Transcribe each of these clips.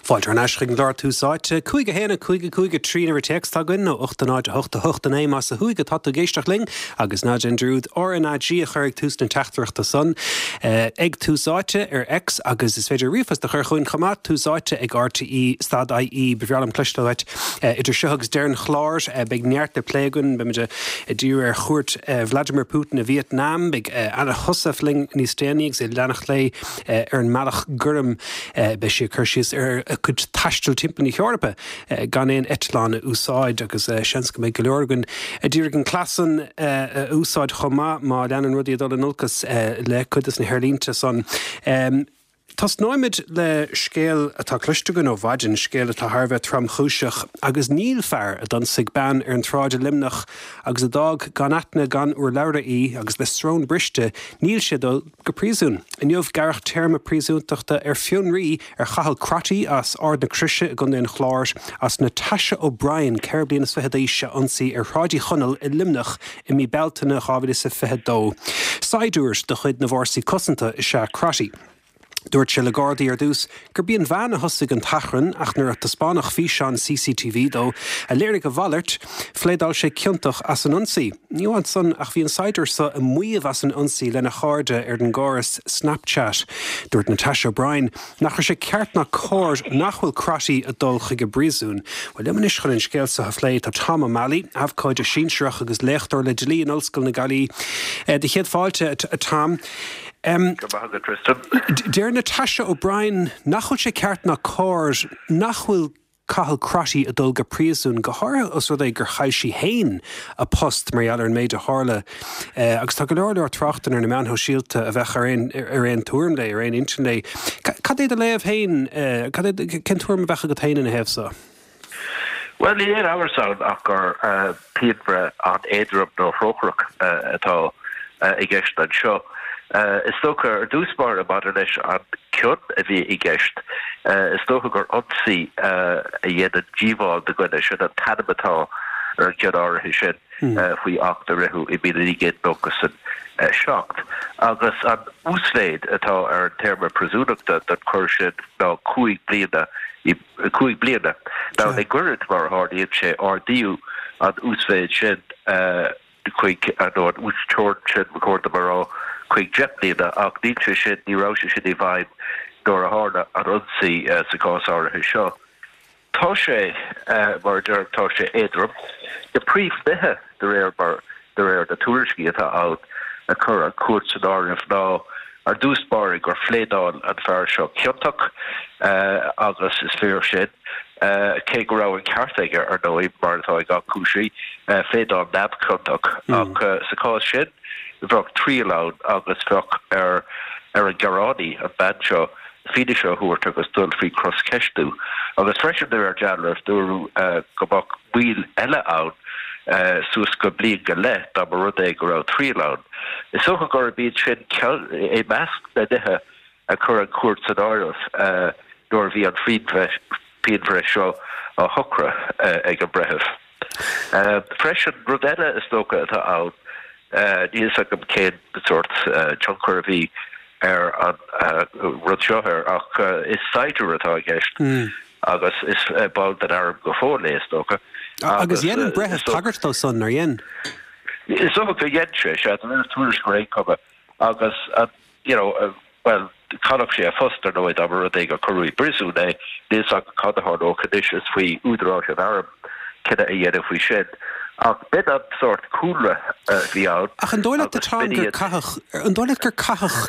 Fáilte thar n-ais chuig an gclár Tús Áite. 5 1 5 5 3 an uimhir téacs atá againn nó 8 0 8 8 9 más ó thuaidh atá tú ag éisteacht linn agus ná déan dearúd RnaG a chur ag tús na teachtaireachta san ag Tús Áite ar X agus is féidir ríomhphost a chur chugainn chomh maith, Tús Áite ag RTE stad IE. Ba bhreá liom cloisteáil uait idir seo agus deireadh an chláir. Beidh neart le plé againn. Beimid ag díriú ar chuairt Vladimir Putin i Vietnam. Beidh Anna Heussaff linn níos déanaí agus í ag leanacht léi ar an mBealach Gorm. Beidh sí ag cur síos ar a cuid taistil timpeall na hEorpa gan aon eitleán a úsáid agus seans go mbeidh go leor againn a d'iarraidh an cleas san a úsáid chomh maith má leanann rudaí ag dul in olcas le cuid de na haerlínte san. Tosnóimid le scéal atá cloiste againn ó mhaidin, scéal atá thar a bheith tromchúiseach agus níl fear a d'ionsaigh bean ar an tsráid i Luimneach agus a d'fhág gan aithne gan urlabhra í agus le srón briste, níl sé ag dul go príosún. Inniu, gearradh téarma príosúntachta ar fionraí ar Chathal Crotty as Ard na Croise i gContae an Chláir as Natasha O'Brien, 24 bliana d'aois, a ionsaí ar Shráid Uí Chonaill i Luimneach i mí Bealtaine 2022. Saighdiúir de chuid na bhFórsaí Cosanta is ea Crotty. Dúirt sé le Gardaí ar dtús gurb í an bhean a thosaigh an t-achrann ach nuair a taispeánadh físeán CCTV dó a léirigh a mhalairt, phléadáil sé ciontach as an ionsaí. Ní amháin san ach bhí an saighdiúir seo ag maíomh as an ionsaí lena chairde ar an gcóras Snapchat. Dúirt Natasha O'Brien nach raibh sé ceart ná cóir nach bhfuil Crotty ag dul chuig an bpríosún. Bhuel, liom anois chun an scéal seo a phlé tá Tom O'Malley, abhcóide sinsearach agus léachtóir le dlí in Ollscoil na Gaillimhe. Do chéad fáilte, a Tom. Go raibh maith agat, Tristan. Deir Natasha O'Brien nach bhfuil sé ceart ná cóir nach bhfuil Cathal Crotty ag dul go príosún, go háirithe os rud é gur chaill sí féin a post mar gheall ar an méid a tharla. Agus tá go leor leor tráchtanna ar na meáin shóisialta a bheadh ar aon ar aon tuairim léi, ar aon intinn léi. Cad é do léamh féin, cad é, cén tuairim a bheadh agat féin ina thaobh so? Bhuel, níl aon amhras ann ach gur pianbhreith an-éadrom nó thrócaireach atá i gceist anseo. Is dócha, ar dtús báire, maidir leis an cion a bhí i gceist, is dócha gur ionsaí a dhéanann díobháil do dhuine, sin an t-ainm atá ar an gcion áirithe sin faoi Acht a ritheadh i 1997. Agus an uasmhéid atá ar an téarma príosúnachta don choir sin ná 5 bliana i 5 bliana. Now, le goirid, mar a tharlaíonn sé, ardaíodh an uasmhéid sin chuig, nó an uasteorainn sin, ba chóir dom a rá, chuig 10 mbliana, ach níl sé sin, ní raibh sé sin i bhfeidhm nuair a tharla an ionsaí sa chás áirithe seo. Tá sé, mar a deirim, tá sé éadrom. Na príomhnithe, de réir mar, de réir na tuairiscí atá ann, a chuir an chúirt san áireamh ná, ar dtús báire, gur phléadáil an fear seo ciontach, agus is fíor sin, cé go raibh an ceart aige, ar ndóigh, mar atá ag gach cúisí, pléadáil neamhchiontach. Ach sa chás sin, bheadh triail ann agus bheadh ar ar an ngearánaí, an bhean seo, fianaise a thabhairt agus dul faoi chroscheistiú. Agus freisin, de réir dealraimh, dúradh go mbeadh moill eile ann suas go bliain go leith dá mba rud é go raibh triail ann. Is dócha gurb iad sin ceann i measc na nithe a chuir an chúirt san áireamh nuair a bhí an phianbhreith seo á shocrú ag an bhreitheamh. Freisin, rud eile is dócha atá ann, níl fhios agam cén sórt tionchar a bhí ar an rud seo air ach is saighdiúir atá i gceist agus is ball den arm go fóill é, is dócha. Agus dhein an breitheamh tagairt dó san, nár dhein? Is dócha gur dhein sé, sea, de réir tuairisc ar aon chuma. Agus an, you know, bhuel, chaillfeadh sé a phost, ar ndóigh, dá mba rud é gur cuireadh i bpríosún é. Níl fhios agam cad a tharlódh anois, is faoi údaráis an airm cinneadh a dhéanamh faoi sin. Ach b'in an sórt cúlra a bhí ann Ach an dóigh leat a Tom gur caitheadh, an dóigh leat gur caitheadh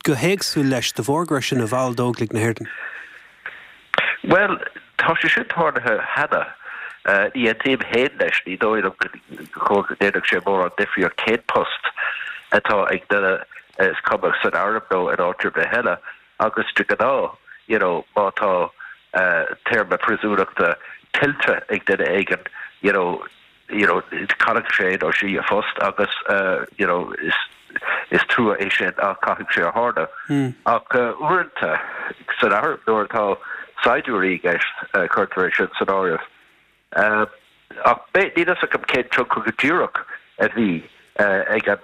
go héagsúil leis de bharr go raibh sé ina bhall d'Óglaigh na hÉireann? Bhuel, tá sé sin tarlaithe cheana. Ní aontaím féin leis, ní dóigh liom go ndéanfadh sé mórán difríocht cén post atá ag duine, is cuma san arm nó in áit ar bith eile, agus de ghnáth, you know, má tá téarma príosúnachta tuillte ag duine éigin, you know, you know, caillfidh sé nó sí a phost agus, you know, is, is trua é sin ach caithfidh sé a tharlú. Ach uaireanta san arm nuair atá saighdiúirí i gceist, cuirtear é sin san áireamh. Ach níl fhios agam cén tionchar go díreach a bhí ag an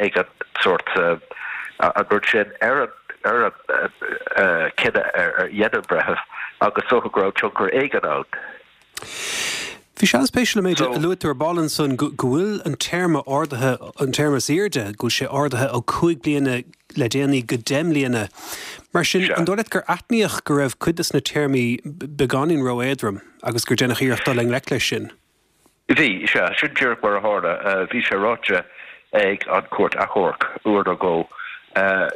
ag an sórt an rud sin ar an. ar an chinneadh a dhein an breitheamh agus is dócha go raibh tionchar éigin ann. Bhí sé an-spéisiúil an méid a luaigh tú ar ball ansan go bhfuil an téarma ardaithe, an téarma is airde, go bhfuil sé ardaithe ó 5 bliana le déanaí go 10 mbliana. Mar sin, an dóigh leat gur aithníodh go raibh cuid de na téarmaí beagáinín ró-éadrom agus gur deineadh iarracht dul i ngleic leis sin? Bhí, sea. Sin díreach mar a tharla. Bhí sé ráite ag an Chúirt Achomhairc uair nó dhó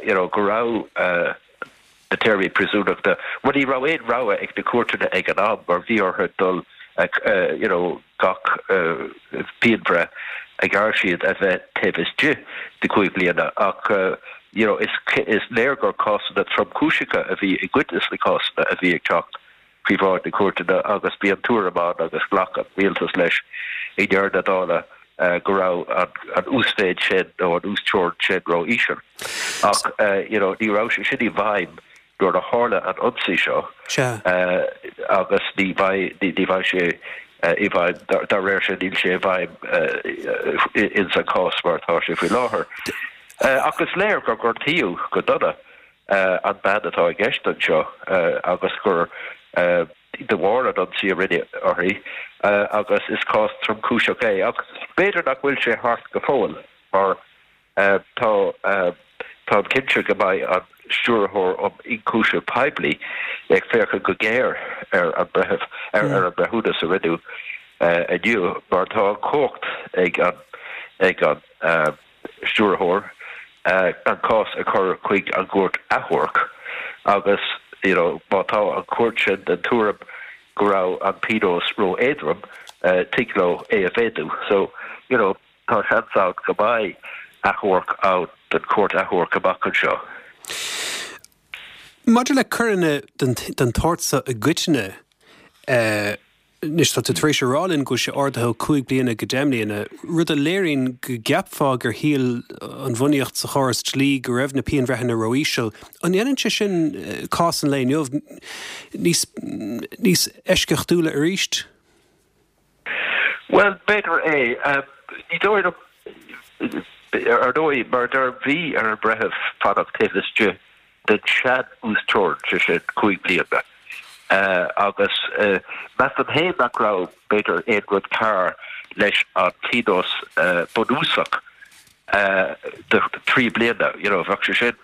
you know go raibh na téarmaí príosúnachta, bhuel ní raibh aon rogha ag na cúirteanna ag an am mar bhí orthu dul you know gach pianbhreith a ghearr siad a bheith taobh istigh de chúig bliana ach you know is is léir gur cásanna tromchúiseacha a bhí i gcuid de na cásanna a bhí ag teacht faoi bhráid na cúirteanna agus bhí an tuairim ann agus ghlac an rialtas leis i ndeireadh na dála go raibh an uasmhéid sin nó an uasteorainn sin ró-íseal. Ach you know ní raibh sé sin i bhfeidhm nuair a tharla an ionsaí seo agus ní bheidh ní bheidh sé i bhfeidhm dá réir sin níl sé i bhfeidhm ins an cás mar atá sé faoi láthair. Ach is léir gur gortaíodh go dona an bean atá i gceist anseo agus gur de bharr an ionsaí a rinneadh uirthi agus is cás tromchúiseach é. Ach b'fhéidir nach bhfuil sé thart go fóill mar tá táim cinnte go mbeidh an Stiúrthóir um Ionchúiseamh Poiblí ag féachaint go géar ar an breitheamh ar an mbreithiúnas a rinneadh inniu mar tá an chumhacht ag an ag an Stiúrthóir an cás a chur chuig an gCúirt Achomhairc agus you know má tá an chúirt sin den tuairim go raibh an pionós ró-éadrom, tig leo é a mhéadú. So, you know, tá seans ann go mbeidh achomharc ann don Chúirt Achomhairc amach anseo. Maidir le coireanna den tsórt seo i gcoitinne, Anois, tá tú tar éis a rá linn go bhfuil sé ardaithe ó 5 bliana go 10 mbliana, rud a léiríonn go gceapfá gur shíl an bhunaíocht sa chóras dlí go raibh na pianbhreitheanna ró-íseal. An ndéanann sé sin cás an lae inniu níos, níos eisceachtúla arís? Bhuel, b'fhéidir é. Ní dóigh liom, ar ndóigh, mar a deirim, bhí ar an mbreitheamh fanacht taobh istigh den sean-uasteorainn, sé sin, 5 bliana, agus measaim féin nach raibh, b'fhéidir, aon rud cearr leis an phionós bunúsach de thrí bliana, you know, bheadh sé sin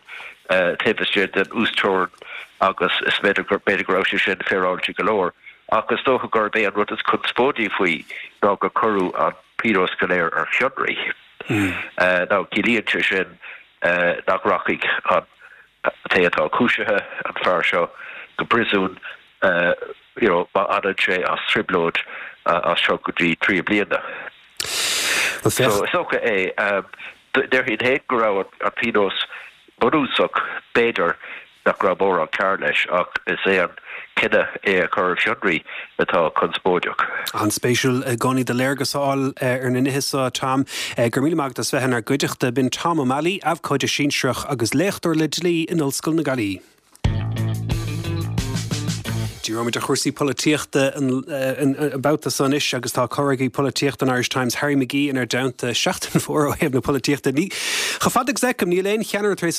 taobh istigh den uasteorainn agus is b'fhéidir go, b'fhéidir go raibh sé sin féaráilte go leor. Ach is dócha gurb é an rud is conspóidí faoi ná gur cuireadh an pionós go léir ar fionraí. Now, ciallaíonn sé sin nach rachaidh an té atá cúisithe, an fear seo, go príosún you know má fhanann sé as trioblóid as seo go dtí 3 bliana. So is dócha é. Déarfainn féin go raibh an pionós bunúsach, b'fhéidir, nach raibh mórán cearr leis, ach is é an cinneadh é a chur ar fionraí atá conspóideach. An-spéisiúil i gcónaí do léargas a fháil ar na nithe seo, a Tom. Go raibh míle maith agat as bheith inár gcuideachta. B'in Tom O'Malley, abhcóide sinsearach agus léachtóir le dlí in Ollscoil na Gaillimhe. Díreoimid ar chúrsaí polaitíochta an babhta seo anois agus tá comhfhreagraí polaitíochta an Irish Times, Harry McGee inár dteannta. Seachtain mhór ó thaobh na polaitíochta. Ní, chomh fada agus a fheicim, níl aon cheannaire tar éis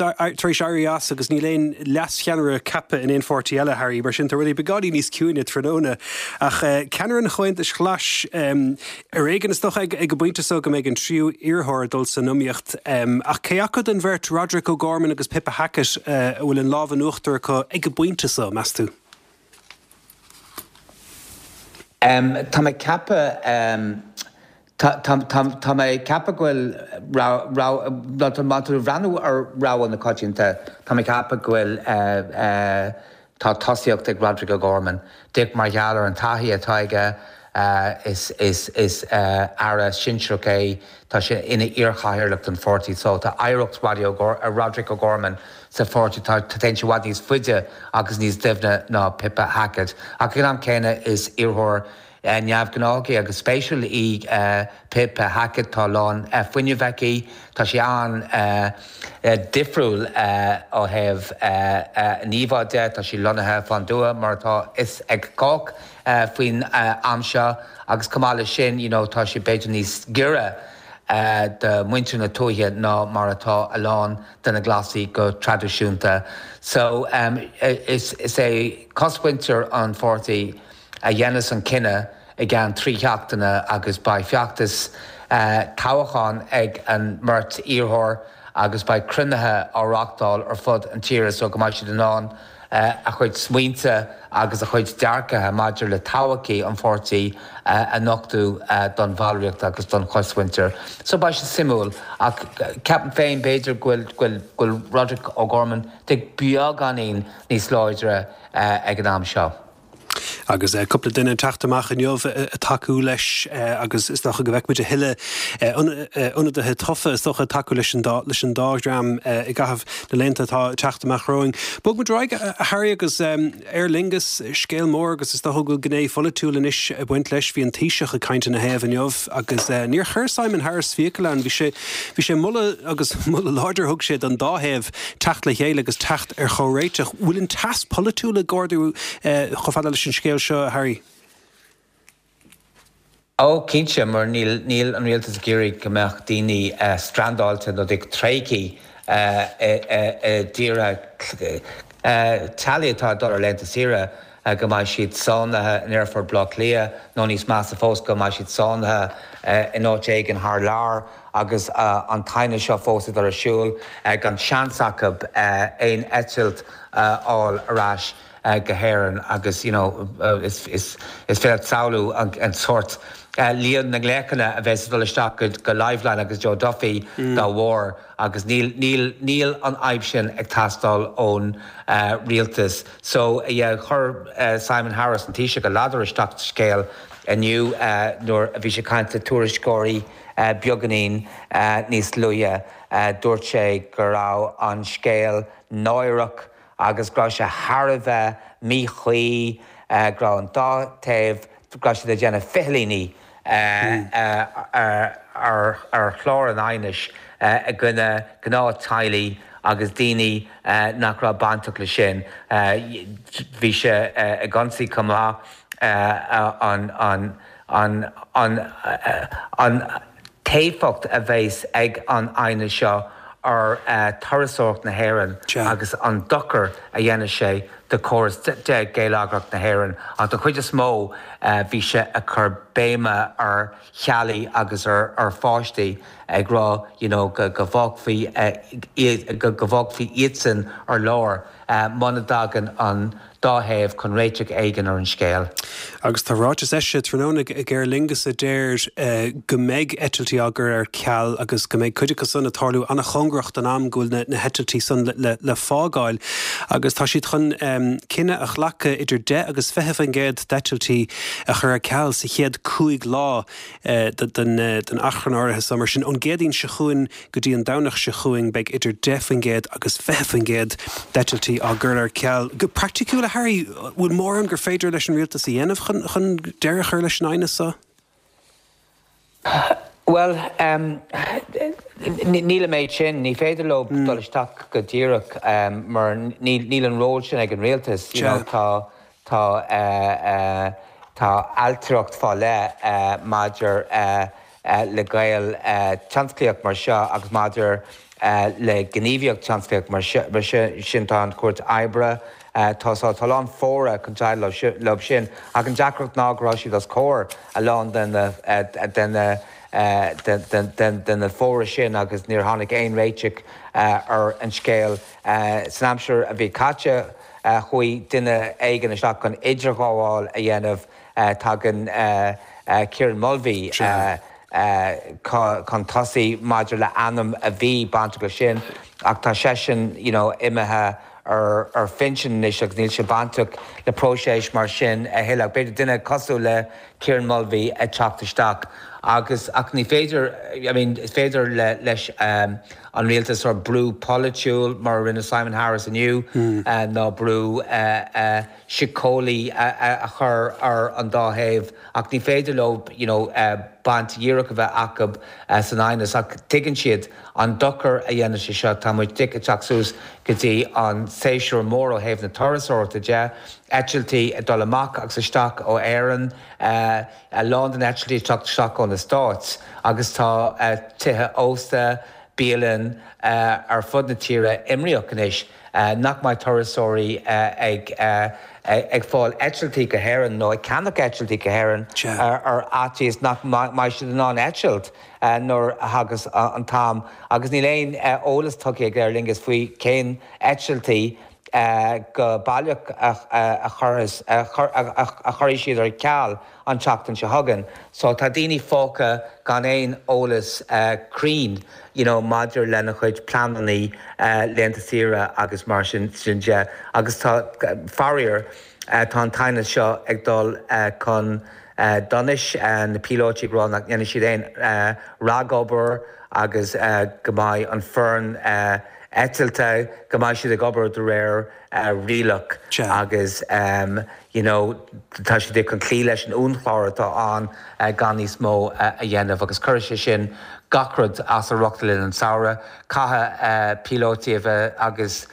éirí as agus níl aon leascheannaire ceaptha in aon pháirtí eile, Harry. Mar sin tá rudaí beagáinín níos ciúine tráthnóna. Ach ceannaire an Chomhaontais Ghlais, ar éigean is dócha ag an bpointe seo go mbeidh an tríú iarrthóir ag dul san iomaíocht. Ach cé acu den bheirt, Roderic O'Gorman agus Pippa Hackett, a bhfuil an lámh in uachtar acu ag an bpointe seo, meas tú? Tá mé ag ceapadh, tá mé ag ceapadh go bhfuil rogha, má tá tú ag breathnú ar rogha na coitianta, tá mé ag ceapadh go bhfuil, Tá tosaíocht ag Roderic O'Gorman. Díreach mar gheall ar an taithí atá aige, is aire sinsearach é, tá sé ina iarchathaoirleach den pháirtí so tá oidhreacht Roderic O'Gorman sa pháirtí, tá téann sé i bhfad níos faide agus níos doimhne ná Pippa Hackett. Ach ag an am céanna is iarrthóir neamhghnách í agus spéisiúil í Pippa Hackett. Tá a lán fuinnimh aici. Tá sí an-difriúil ó thaobh an íomhá de. Tá sí lonnaithe fán dtuath mar atá fhios ag cách faoin am seo agus chomh maith leis sin you know tá sí b'fhéidir níos giorra. do mhuintir na tuaithe ná mar atá a lán de na Glasaigh go traidisiúnta. So is é cosmhuintir an pháirtí a dhéanfas an cinneadh i gceann 3 sheachtaine agus beidh feachtas toghcháin ag an mbeirt iarrthóir agus beidh cruinnithe á reáchtáil ar fud an tíre so go mbeidh siad in ann a chuid smaointe agus a chuid dearcaithe maidir le todhchaí an pháirtí a nochtadh don bhallraíocht agus don chosmhuintir. So beidh sé suimiúil ach ceapaim féin b'fhéidir go bhfuil go bhfuil Roderic O'Gorman beagáinín níos láidre ag an am seo. Agus cúpla duine ag teacht amach inniu ag tacú leis agus is dócha go bhfeicfimid a thuilleadh ionadaithe tofa is dócha ag tacú leis an dá leis an dá dhream i gcaitheamh na laethanta atá ag teacht amach romhainn. Bogfaimid ar aghaidh, a Harry, agus Aer Lingus, scéal mór agus is dócha go bhfuil gné pholaitiúil anois ag baint leis. Bhí an Taoiseach ag caint ina thaobh inniu agus níor chuir Simon Harris fiacail ann. Bhí sé bhí sé ag moladh agus moladh láidir a thug sé don dá thaobh teacht le chéile agus teacht ar chomhréiteach. Bhfuil an teas polaitiúil ag ardú chomh fada leis an scéal seo, a Harry? Ó, cinnte, mar níl, níl an rialtas ag iarraidh go mbeadh daoine strandáilte nó tréigthe i dtíortha, teaghlaigh atá ag dul ar laethanta saoire, go mbeidh siad sáinnithe in aerfort Bhaile Átha Cliath nó níos measa fós, go mbeidh siad sáinnithe in áit éigin thar lear agus an t-aighneas seo fós ag dul ar siúl, gan seans acu aon eitilt a fháil ar ais go hÉirinn agus you know is is féidir leat samhlú an sórt líon na nglaochanna a bheas ag dul isteach go Liveline agus Joe Duffy dá bharr agus níl níl níl an fhadhb sin ag teastáil ón rialtas. So yeah chuir Simon Harris, an Taoiseach, a ladar isteach sa scéal inniu nuair a bhí sé ag caint le tuairisceoirí beagáinín níos luaithe. Dúirt sé go raibh an scéal náireach agus go raibh sé thar a bheith míchuí, go raibh an dá taobh, go raibh siad ag déanamh fichillíní ar chlár an aighnis i gcoinne gnáth-teaghlaigh agus daoine nach raibh bainteach leis sin. Bhí sé ag ionsaí chomh maith an an an t-éifeacht a bheas ag an aighneas seo ar thurasóireacht na hÉireann agus an dochar a dhéanfaidh sé do chóras geilleagrach na hÉireann. Ach don chuid is mó bhí sé ag cur béime ar theaghlaigh agus ar pháistí ag rá you know go bhfágfaí go bhfágfaí iadsan ar lár muna dtagann an dá thaobh chun réiteach éigin ar an scéal. Agus tá ráiteas eisithe tráthnóna ag Aer Lingus a deir go mbeidh eitiltí á gcur ar ceal agus go mbeidh cuid acu san ag tarlú an-chóngarach don am go bhfuil na heitiltí san le fágáil agus tá siad chun cinneadh a ghlacadh idir 10 agus 20% d'eitiltí a chur ar ceal sa chéad 5 lá den achrann áirithe so. Mar sin, ón gCéadaoin seo chugainn Go dtí an Domhnach seo chugainn beidh idir 10% agus 20% d'eitiltí á gcur ar ceal. Go praiticiúil, a Harry, bhfuil mórán gur féidir leis an rialtas a dhéanamh chun chun deireadh a chur leis an aighneas seo? Bhuel, níl an méid sin. Ní féidir leo dul isteach go díreach mar níl an ról sin ag an rialtas. You know, tá tá tá ailtireacht fá leith maidir le gaol tionsclaíoch mar seo agus maidir le gníomhaíocht tionsclaíoch mar sin tá an Chúirt Oibre, tá tá a lán fóra chun déileáil leo sin ach an deacracht ná go raibh siad os comhair a lán de na de na de na fóra sin agus níor tháinig aon réiteach ar an scéal. San aimsir a bhí caite chuaigh duine éigin isteach chun idirghabháil a dhéanamh Tagann Kieran Mulvey chun tosaigh maidir le ainm a bhí bainteach leis sin ach tá seisean you know imithe ar phinsean anois agus níl sé bainteach le próiseas mar sin a thuilleadh. B'fhéidir duine cosúil le Kieran Mulvey ag teacht isteach agus ach ní féidir I mean is féidir le leis an rialtas ar brú polaitiúil mar a rinne Simon Harris inniu ná brú síceolaí a chur ar an dá thaobh ach ní féidir leo you know baint dhíreach a bheith acu san aighneas ach tuigeann siad an dochar a dhéanann sé seo. tá muid ag teacht suas go dtí an séasúr mór ó thaobh na turasóireachta de, eitiltí ag dul amach agus isteach ó Éirinn, a lán de na heitiltí ag teacht isteach ó na Stáit agus tá tithe ósta, bialann ar fud na tíre imníoch anois nach mbeidh turasóirí ag ag fáil eitiltí go hÉirinn nó ag ceannach eitiltí go hÉirinn ar fhaitíos nach mbeidh siad in ann eitilt nuair a thagas an t-am agus níl aon eolas tugtha ag Aer Lingus faoi cén eitiltí go baileach a chuirfidh siad ar ceal an tseachtain seo chugainn. So tá daoine fágtha gan aon eolas cruinn you know maidir lena chuid pleananna laethanta saoire agus mar sin de. Agus tá, faraor, tá an t-aighneas seo ag dul chun donais, na píolóití ag rá nach ndéanfaidh siad aon ragobair agus go mbeidh an foireann eitilte, go mbeidh siad ag obair de réir rialach agus you know tá siad chun cloí leis an uainchlár atá ann gan níos mó a dhéanamh agus cuirfidh sé sin gach rud as a riocht le linn an tsamhraidh. Caithfidh píolóití a bheith agus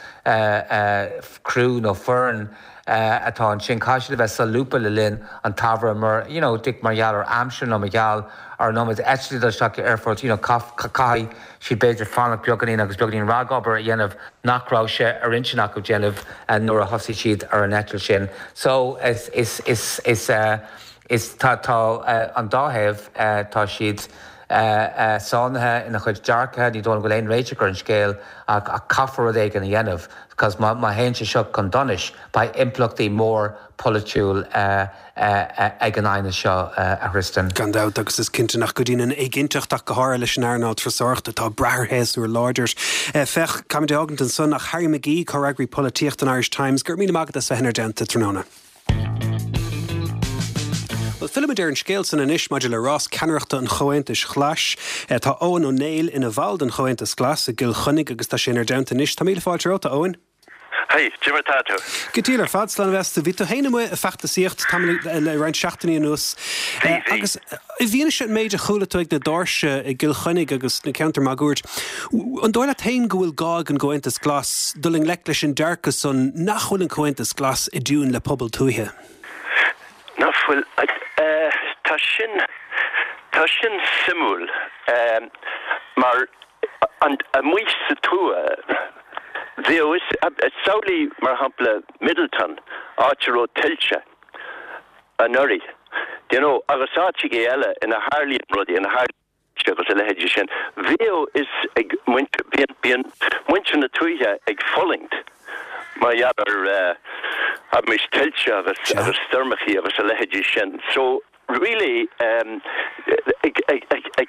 criú nó foireann atá ansin, caithfidh siad a bheith solúbtha le linn an tsamhraidh mar you know mar gheall ar aimsir nó mar gheall ar an iomad eitiltí ag dul isteach go aerfort you know caithfidh siad b'fhéidir fanacht beagáinín agus beagáinín ragobair a dhéanamh nach raibh sé ar intinn acu déanamh nuair a thosaigh siad ar an eitilt sin. So is, is, is, is, is, tá, tá an dá thaobh, tá siad sáinnithe ina chuid dearcaithe, ní dóigh liom go bhfuil aon réiteach ar an scéal ach, ach caithfear rud éigin a dhéanamh because má, má théann sé seo chun donais beidh impleachtaí mór polaitiúil ag an aighneas seo, a Thristan. Gan dabht, agus is cinnte nach gcuidíonn an éiginnteacht ach go háirithe leis an earnáil turasóireachta atá ag brath ar shéasúr láidir. Féach, caithfimid é fhágaint ansan ach Harry McGee, Comhfhreagraí Polaitíochta an Irish Times, go raibh míle maith agat as bheith inár dteannta tráthnóna. Bhuel, fillfimid ar an scéal san anois maidir le rás ceannaireachta an Chomhaontais Ghlais. Tá Eoghan Ó Néill ina bhall den Chomhaontas Glas i gCill Chainnigh agus tá sé inár dteannta anois. Tá míle fáilte romhat, a Eoghain. Haigh, cad é mar tá tú? Go diail ar fad, slán a bheas tú. Bhí tú féin amuigh ag feachtasaíocht tamall le roinnt seachtainí anuas. Bhí, bhí. Agus i bhfianaise an méid a chuala tú ag na doirse i gCill Chainnigh agus sna ceantair máguaird, an dóigh leat féin go bhfuil gá ag an gComhaontas Glas dul i ngleic leis an dearcadh san nach bhfuil an Comhaontas Glas i dtiúin le pobal tuaithe? Nach bhfuil. Tá sin, tá sin suimiúil mar amuigh sa tuath, bheadh fhios, samhlaigh mar shampla Midleton, áit a raibh tuilte anuraidh, do you know, agus áiteachaí eile ina tharlaíonn rudaí, ina tharlaíonn tuilte agus a leithéidí sin, bheadh fhios ag muintir, bíonn, bíonn muintir na tuaithe ag fulaingt mar gheall ar, abraimis, tuilte agus, agus stoirmeachaí agus a leithéidí sin. So, Really, ag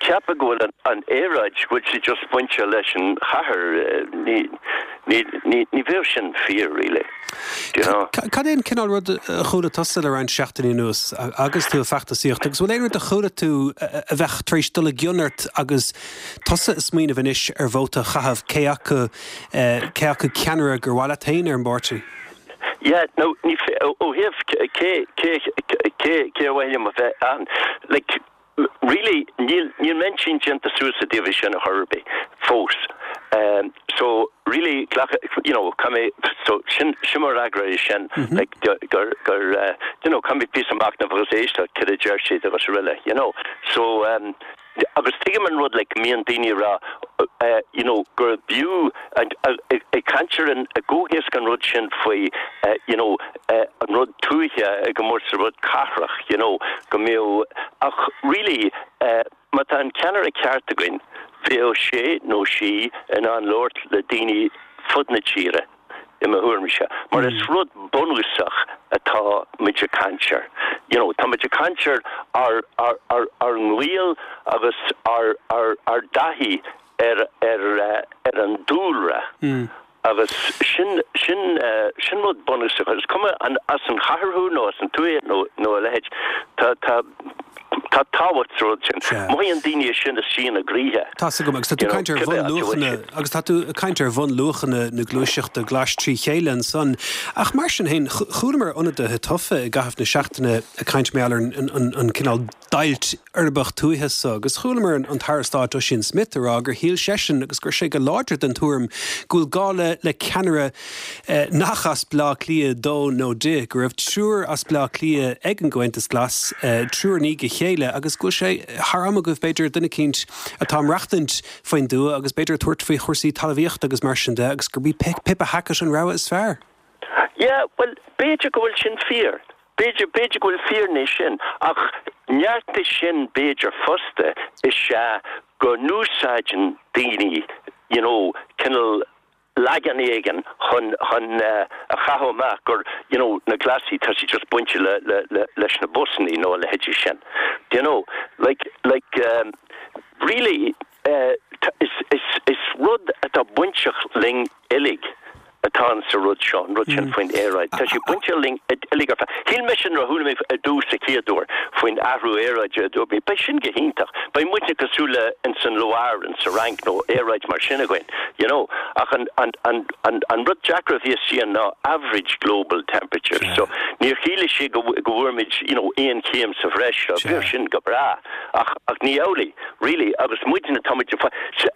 ceapadh go bhfuil an aeráid, go bhfuil sé just bainte leis an chathair, ní, ní, ní bheadh sin fíor really, do you know. Cad é an cineál rud a chuala tusa le roinnt seachtainí anuas agus tú ag feachtasaíocht agus bhfuil aon rud a chuala tú a bheadh tar éis dul i gcion ort agus tusa ag smaoineamh anois ar vóta a chaitheamh, cé acu, cé acu ceannaire gur mhaith leat féin ar an bpáirtí? Yeah, no, ní fé, ó thaobh cé, cé, cé, cé ar mhaith liom a bheith ann, like, really, níl, níl m'intinn déanta suas i dtaobh é sin a chor ar bith, fós. Um, so, really, glac, you know, caithfidh mé, so, sin, sin mo fhreagra é sin, like, gur, gur, uh, you know, caithfidh mé píosa machnaimh agus éisteacht cad a deir siad agus araile, you know. So, um, Agus tuigim an rud like go mbíonn daoine ag rá you know gur b'fhiú ag caint ar an i gcomhthéasc an rud sin faoi you know an rud tuaithe i gcomórtas le rud cathrach you know go mbeadh ach really má tá an ceannaire ceart againn bheadh sé nó sí in ann labhairt le daoine fud na tíre. i mo thuairimse, mar is rud bunúsach atá muid ag caint air. You know, tá muid ag caint ar ár, ár, ár, ár ngaol agus ár, ár, ár dtaithí ar, ar, ar an dúlra. Agus sin, sin, sin rud bunúsach. Is cuma an as an chathair thú nó as an tuath nó, nó a leithéid, tá, tá. Tá tábhacht sa rud sin. Mothaíonn daoine é sin istigh ina gcroíthe. Tá's agam, agus tá tú ag caint ar bhunluachanna, agus tá tú ag caint ar bhunluachanna na gluaiseachta glais trí chéile ansan. Ach mar sin féin, chualamar ionadaithe tofa i gcaitheamh na seachtaine ag caint mar gheall ar an cineál deighilt uirbeach tuaithe so, agus chualamar an tAire Stáit Ossian Smyth ag rá gur shíl seisean agus go raibh sé go láidir den tuairim go bhfuil gá le le ceannaire nach as Bleá Cliath dó nó di, go raibh triúr as Bleá Cliath ag an gComhaontas Glas, triúr i ndiaidh a chéile, agus go bhfuil sé thar am agaibh, b'fhéidir, duine eicínt atá ag maireachtaint faoin dtuath agus b'fhéidir ag tabhairt faoi chúrsaí talmhaíochta agus mar sin de, agus gurb í Pippa Hackett an rogha is fearr. Yeah, bhuel, b'fhéidir go bhfuil sin fíor. B'fhéidir, b'fhéidir go bhfuil fírinne sin, ach neart de sin b'fhéidir fosta is ea go n-úsáideann daoine, you know, cineál leagan éigin chun chun a chaitheamh amach gur you know na Glasaigh tá siad just bainte le le le leis na busannaí nó a leithéidí sin. Do you know? Like like um really eh is is is rud atá bainteach linn uilig atá in sa rud seo, an rud sin faoin aeráid. Tá sé bainteach linn uilig ar fad. Shíl mise nuair a chuala mé ar dtús sa chéad uair faoin athrú aeráide a dúirt mé beidh sin go hiontach, beidh muidne cosúil le ins an Loire in sa Fhrainc nó aeráid mar sin againn. You know, ach an, an, an, an, an rud deacair a bhí istigh ann ná average global temperature. So, níor chiallaigh sé go, go bhfuair muid, you know, aon chéim sa bhreis seo. Bheadh sin go breá. Ach, ach ní amhlaidh, really. Agus muidne, tá muid,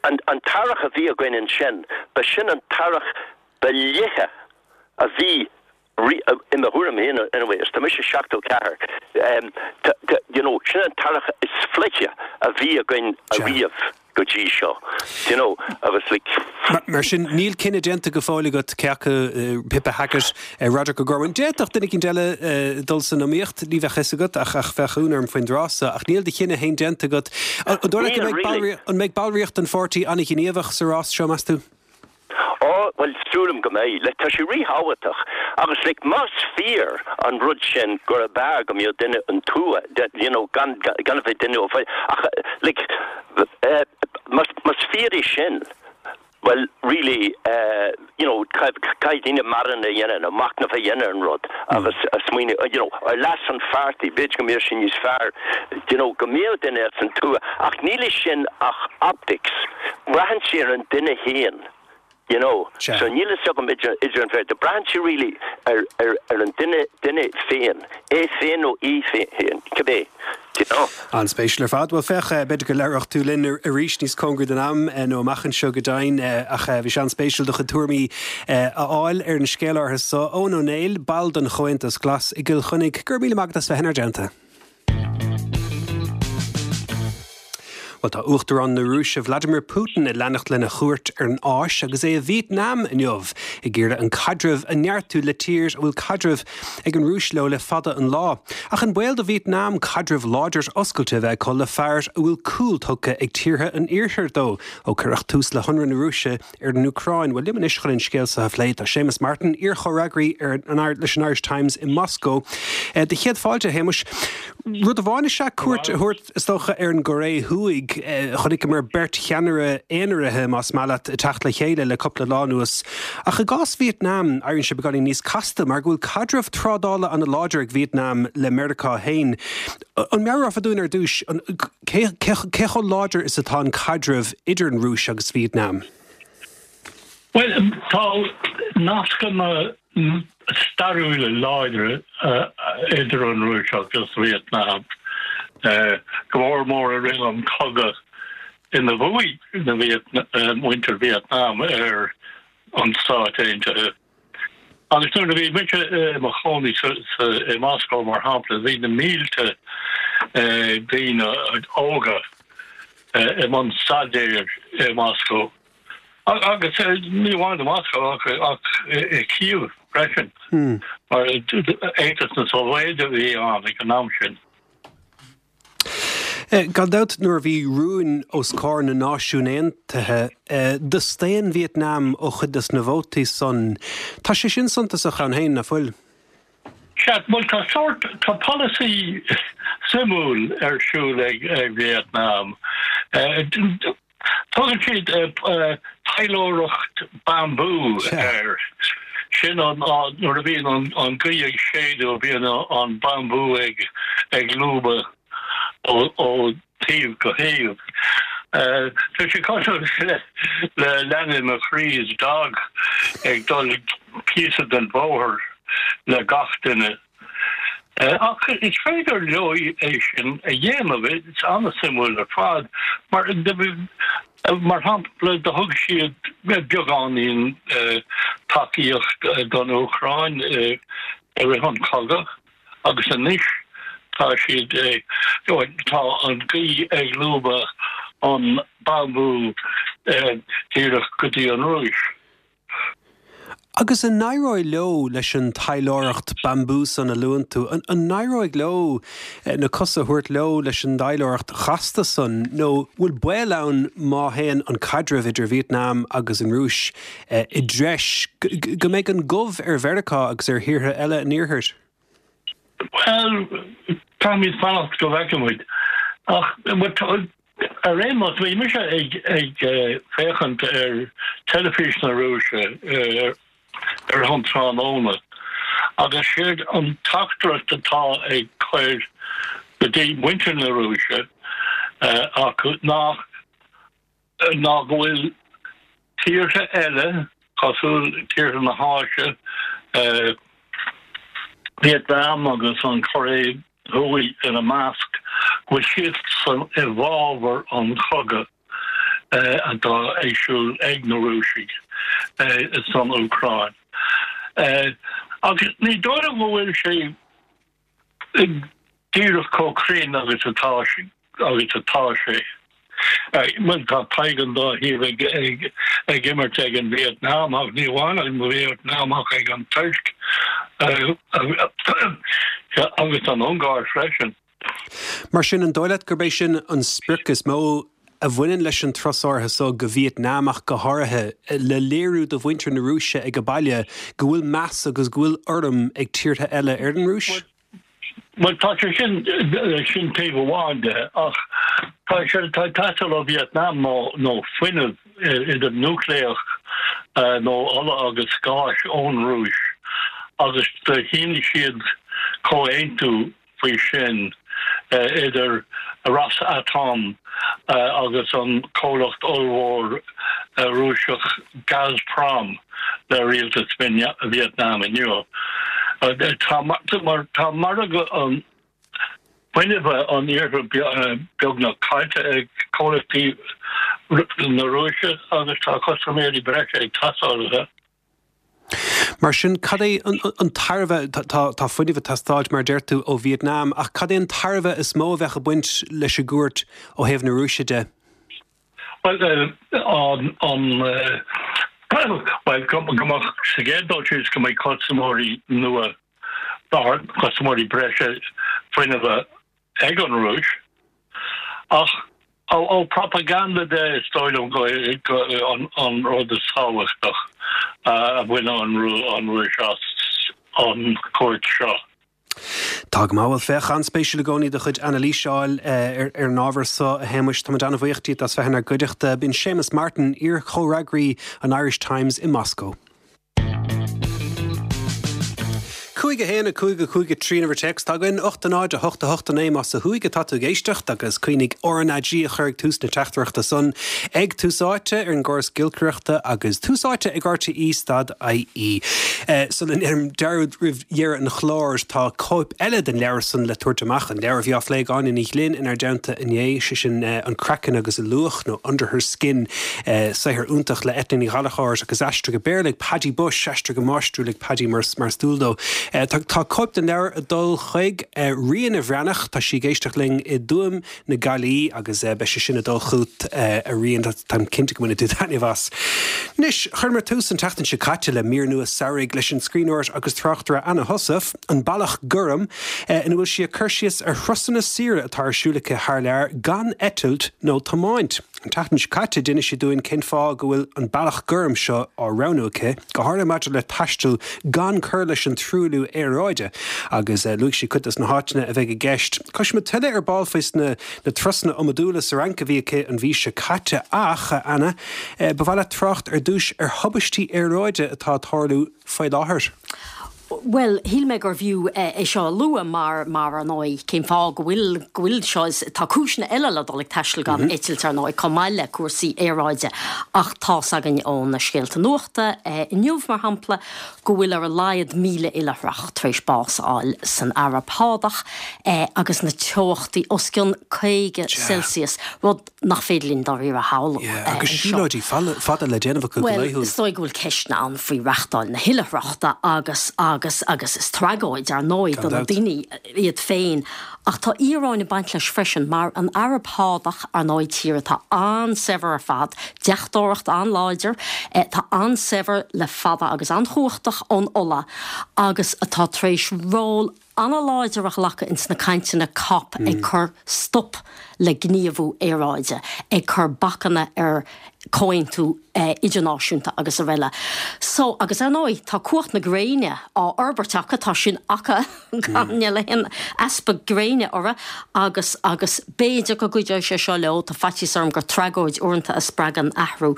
an, an t-earrach a bhí againn ansin, ba sin an t-earrach ba fhliche a bhí i mo thuairim féin anyway, is tá mise 74, you know, sin an t-earrach is fliche a bhí againn ariamh go dtí seo, you know, agus like. Mar sin, níl cinneadh déanta go fóill agat cé acu Pippa Hackett, Roderic O'Gorman. D'fhéadfadh duine eicínt eile dul san iomaíocht, ní bheadh a fhios agat, ach bheadh ionadh orm faoin dtráth so. Ach níl do chinneadh féin déanta agat. An dóigh leat go mbeidh, an mbeidh ballraíocht an pháirtí an-ghníomhach sa rás seo, meas tú? Á, bhuel, sílim go mbeidh. Like, tá sé ríthábhachtach. Agus, like, más fíor an rud sin gurb fhearr go mbeadh duine ón tuath, you know, gan, gan a bheith duine ó bhaile, ach, like, eh, más, más fíor é sin, bhuel, really, eh, you know, caithfidh daoine marana a dhéanamh nó machnamh a dhéanamh ar an rud agus a smaoineamh, you know, ar leas an pháirtí, b'fhéidir go mbeadh sé níos fearr, you know, go mbeadh duine as an tuath, ach níl i sin ach optics. Braitheann sé ar an duine féin, you know. So níl fhios agam idir, idir an bheirt. Braitheann sé really ar, ar, ar an duine, duine féin, é féin nó í féin, cibé, you know. An-spéisiúil ar fad. Bhuel, féach, b'fhéidir go labhródh tú linn arís níos cóngaraí don am, nó amach anseo go deimhin, ach bhí sé an-spéisiúil do chuid tuairimí a fháil ar an scéal áirithe so. Eoin Ó Néill, ball den Chomhaontas Glas i gCill Chainnigh, go raibh míle maith agat as bheith inár dteannta. Bhuel, tá Uachtarán na Rúise Vladimir Putin ag leanacht lena chuairt ar an Áis agus é i Vítneam inniu, ag iarraidh an caidreamh a neartú le tír a bhfuil caidreamh ag an Rúis leo le fada an lá. Ach an baol do Vítneam caidreamh láidir oscailte a bheith acu le fear a bhfuil cúl tugtha ag tíortha an Iarthair dó ó cuireadh tús le hionradh na Rúise ar an Úcráin. Bhuel, liom anois chun an scéal seo a phlé tá Séamus Martin, iar-chomhfhreagraí ar an leis an Irish Times i Moscó. Do chéad fáilte, a Shéamuis. Rud amháin is ea cuairt a thabhairt, is dócha, ar an gCóiré Thuaidh. Chonaiceamar beirt cheannaire aonaraithe, más maith leat, ag teacht le chéile le cúpla lá anuas. Ach i gcás Vítneam, éiríonn sé beagáinín níos casta mar go bhfuil caidreamh trádála an-láidir ag Vítneam le Meiriceá féin. An meabhrófá dúinn ar dtús cé chomh láidir is atá an caidreamh idir an Rúis agus Vítneam? Bhuel, tá nascanna stairiúla láidre idir an Rúis agus Vítneam, go mór mór i rith an chogadh ina bhuaigh muintir Vítneam ar an Stáit Aontaithe. Agus nuair a bhí mise i mo chónaí i Moscó, mar shampla, bhí na mílte daoine óga i mbun staidéir i Moscó. Agus ní amháin i Moscó ach i Kyiv freisin, mar Aontas na Sóivéide a bhí ann ag an am sin. Gan dabht, nuair a bhí rúin os comhair na Náisiún Aontaithe, do staon Vítneam ó chuid des na vótaí san. Tá sé sin suntasach ann féin, ná fuil? Sea, bhuel tá sórt, tá polasaí suimiúil ar siúl ag Vietnam. Tugann siad taidhleoireacht bambú air. Sin an nuair a bhíonn an ghaoth ag séideadh bíonn an bambú ag lúbadh. ó thaobh go thaobh. Tá sé cosúil le Leanaí McCree's dog ag dul píosa den bhóthar le gach duine. Ach is féidir leo é sin a dhéanamh, is an-suimiúil ar fad. Mar mar shampla, do thug siad beagáinín tacaíocht don Úcráin i rith an chogadh. Agus anois tá siad ag, tá an ghaoth ag lúbadh an bambú díreach go dtí an Rúis. Agus an n-éireoidh leo leis an taidhleoireacht bambú san a luann tú, an n-éireoidh leo na cosa a thabhairt leo leis an dtaidhleoireacht chasta san, nó bhfuil baol ann má théann an caidreamh idir Vietnam agus an Rúis i dtreis, go mbeidh an gomh ar Mheiriceá agus ar thíortha eile an Iarthair? Bhuel, caithfimid fanacht go bhfeicfimid. Ach ar aon nós, bhí mise ag féachaint ar teilifís na Rúise ar an tráthnóna agus séard an teachtaireacht atá ag cur go dtí muintir na Rúise acu ná ná go bhfuil tíortha eile, cosúil tíortha na hÁise, Vietnam agus an Chóiré Thuaidh ina measc, go bhfuil siadsan i bhfabhar an chogadh atá ag siúl ag na Rúisigh san Úcráin. Agus ní dóigh liom go bhfuil sé díreach chomh cruinn agus atá agus atá sé. Bhuel, tá tadhg an dá thaobh ag ag imirt ag an Vietnam ach ní amháin an Vietnam ach ag an Tuirc agus an Ungáir freisin. Mar sin, an dóigh leat gurb é sin an sprioc is mó a bhaineann leis an turas áirithe so go Vietnam ach go háirithe, le léiriú do mhuintir na Rúise ag baile go bhfuil meas agus go bhfuil urraim ag tíortha eile ar an Rúis? Bhuel, tá sé sin, sin taobh amháin de, ach tá sé, tá ag teastáil ó Vietnam ná, ná fuinneamh, idir núicléach nó ola agus gáis ón Rúis agus do shínigh siad comhaontú faoi sin idir Rosatom agus an comhlacht ollmhór Rúiseach Gazprom le rialtas Vietnam inniu. Tá mar tá margadh an fuinnimh an iarthair beagnach caillte ag comhlachtaí na Rúise agus tá custaiméirí breise ag teastáil uathu. Mar sin, cad é an tairbhe, tá fuinneamh ag teastáilt, mar a deir tú, ó Vietnam, ach cad é an tairbhe is mó a bheadh ag baint leis an gcuairt ó thaobh na Rúise de? Bhuel, an, bhuel, go mbeadh, sa gcéad dul síos, go mbeidh custaiméirí nua, custaiméirí breise fuinnimh ag an Rúis, ach ó propaganda de, is dóigh liom go an rud is tábhachtach a bhain an Rúis as an chuairt seo. Tá go maith. Bhuel, féach, an-spéisiúil i gcónaí do chuid anailíse a fháil ar an ábhar so, a Shéamuis. Táimid an-bhuíoch díot as bheith inár gcuideachta. B'in Séamus Martin, iar-chomhfhreagraí an Irish Times i Moscó. 5, 1, 5, 5, 3 an uimhir téacs atá againn, 8, 0, 8, 8, 9 más ó thuaidh atá tú ag éisteacht agus cuimhnigh RnaG a chur ag tús na teachtaireachta san ag Tús Áite ar an gcóras giolcaireachta agus Tús Áite ag RTÉ stad IE. Sula ndéanaim dearúd roimh dheireadh an chláir tá cóip eile den leabhar san le tabhairt amach, an leabhar a bhí á phlé ag Áine Ní Ghlinn inár dteannta inné, sé sin An Craiceann agus a Luach nó Under Her Skin. Saothar iontach le Eithne Ní Ghallchóir agus aistrithe go Béarla ag Paddy Bushe, aistrithe go máistriúil ag Paddy mar is dual dó. Tá cóip den leabhar ag dul chuig Ríona Bhreathnach, tá sí ag éisteacht linn i dTuaim na Gaillí agus beidh sé sin ag dul chugat a Ríona, táim cinnte go mbainfidh tú taitneamh as. Anois, chuireamar tús an tseachtain seo caite le mír nua samhraidh leis an scríbhneoir agus tráchtaire Anna Heussaff, An Bealach Gorm, ina bhfuil sí ag cur síos ar thurasanna saoire atá ar siúl aici thar lear gan eitilt nó tiomáint. An tseachtain seo caite d'inis sí dúinn cén fáth go bhfuil an bealach gorm seo á roghnú aici, go háirithe maidir le taisteal gan cur leis an truailliú aeráide, agus luaigh sí cuid de na háiteanna a bheidh i gceist. Cloisfimid tuilleadh ar ball faoi na turasanna iomadúla sa Fhrainc a bhí aici an mhí seo caite ach, a Anna, ba mhaith leat trácht ar dtús ar thubaistí aeráide atá ag tarlú faoi láthair. Bhuel, shíl mé gurbh fhiú é seo a lua mar, mar, ar ndóigh, cén fáth go bhfuil, go bhfuil seo, is, tá cúiseanna eile le dul ag taisteal gan eitilt, ar ndóigh, chomh maith le cúrsaí aeráide ach tá's againn ó na scéalta nuachta inniu, mar shampla, go bhfuil ar a laghad 1,000 oilithreach tar éis bás a fháil san Araib Shádach agus na teochtaí os cionn 50 Celsius, rud nach féidir linn dáiríre a shamhlú anseo. Agus siúlóidí fada le déanamh acu go laethúil. Bhuel, is dóigh go bhfuil ceisteanna ann faoi reachtáil na hoilithreachta agus, agus, agus is tragóid, ar ndóigh, do na daoine iad féin. Ach tá íoróin ag baint leis freisin, mar an Araib Shádach, ar ndóigh, tír atá an-saibhir ar fad, deachtóireacht an-láidir, atá an-saibhir le fada agus an-chumhachtach ón ola agus atá tar éis ról an-láidir a ghlacadh ins na cainteanna cop ag cur stop le gníomhú aeráide, ag cur bacanna ar comhaontú idirnáisiúnta agus araile. So, agus ar ndóigh, tá cumhacht na gréine á fhorbairt acu, tá sin acu, gan, níl aon easpa gréine orthu agus, agus b'fhéidir go gcuideoidh sé seo leo, tá faitíos orm gur tragóid uaireanta a spreagann athrú.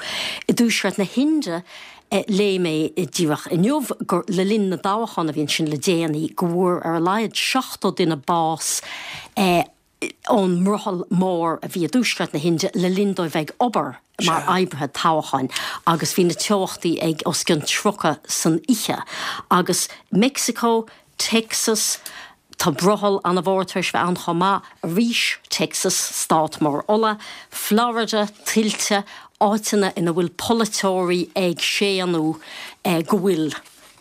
I dtuaisceart na hInde, Léigh mé díreach inniu gur le linn na dtoghchán a bhí ansin le déanaí go bhfuair ar a laghad 70 duine bás ón mbrothall mór a bhí i dtuaisceart na hInde le linn dóibh bheith ag obair mar oibrithe toghcháin agus bhí na teochtaí ag os cionn 30 san oíche. Agus Meicsiceo, Texas, Tá brothall an-mhór tar éis bheith ann chomh maith, arís, Texas, stát mór ola, Florida, tuilte, áiteanna ina bhfuil polaiteoirí ag séanadh go bhfuil